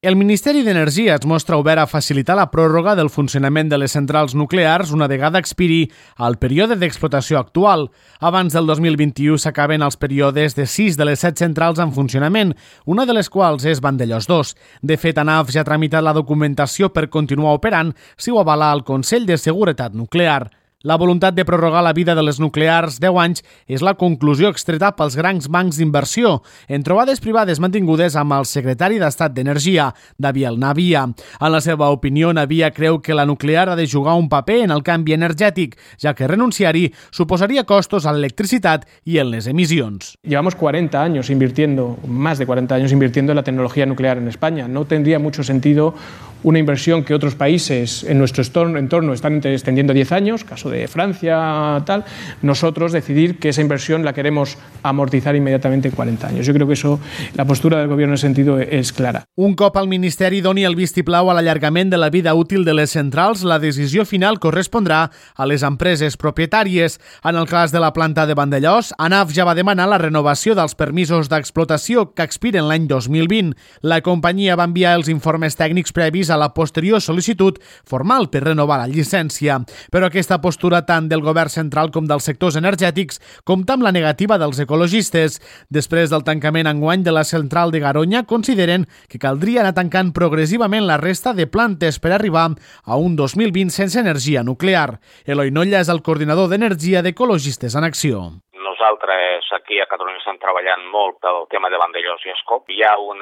El Ministeri d'Energia es mostra obert a facilitar la pròrroga del funcionament de les centrals nuclears una vegada expiri el període d'explotació actual. Abans del 2021 s'acaben els períodes de 6 de les 7 centrals en funcionament, una de les quals és Vandellòs 2. De fet, ANAF ja ha tramitat la documentació per continuar operant si ho avala el Consell de Seguretat Nuclear. La voluntat de prorrogar la vida de les nuclears 10 anys és la conclusió extreta pels grans bancs d'inversió en trobades privades mantingudes amb el secretari d'Estat d'Energia, Daviel Navia. En la seva opinió, Navia creu que la nuclear ha de jugar un paper en el canvi energètic, ja que renunciar-hi suposaria costos a l'electricitat i en les emissions. Llevamos 40 años invirtiendo, más de 40 años invirtiendo en la tecnología nuclear en España. No tendría mucho sentido una inversión que otros países en nuestro entorno están extendiendo 10 años, caso de Francia, tal, nosotros decidir que esa inversión la queremos amortizar inmediatamente en 40 años. Yo creo que eso, la postura del Gobierno en ese sentido es clara. Un cop el Ministeri doni el vistiplau a l'allargament de la vida útil de les centrals, la decisió final correspondrà a les empreses propietàries. En el cas de la planta de Vandellòs, ANAF ja va demanar la renovació dels permisos d'explotació que expiren l'any 2020. La companyia va enviar els informes tècnics previs a la posterior sol·licitud formal per renovar la llicència. Però aquesta postura tant del govern central com dels sectors energètics compta amb la negativa dels ecologistes. Després del tancament enguany de la central de Garoña, consideren que caldria anar tancant progressivament la resta de plantes per arribar a un 2020 sense energia nuclear. Eloi Nolla és el coordinador d'Energia d'Ecologistes en Acció. Nosaltres aquí a Catalunya estem treballant molt pel tema de Vandellòs i Ascó. Hi ha un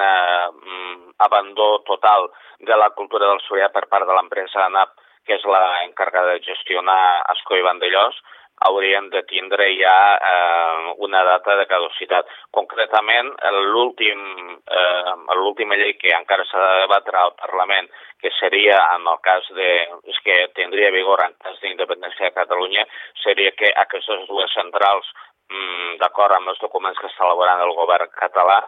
abandó total de la cultura del soia per part de l'empresa ANAP, que és la encarregada de gestionar Ascó i Vandellòs. Haurien de tindre ja una data de caducitat. Concretament, l'última llei que encara s'ha de debatre al Parlament, que seria en el cas que tindria vigor en cas d'independència de Catalunya, seria que aquestes dues centrals, d'acord amb els documents que està elaborant el govern català,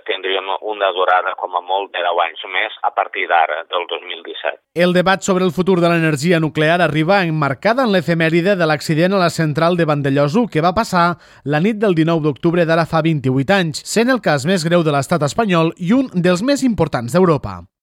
tindrien una durada com a molt de 10 anys més a partir d'ara, del 2017. El debat sobre el futur de l'energia nuclear arriba emmarcada en l'efemèride de l'accident a la central de Vandellòs 1 que va passar la nit del 19 d'octubre d'ara fa 28 anys, sent el cas més greu de l'estat espanyol i un dels més importants d'Europa.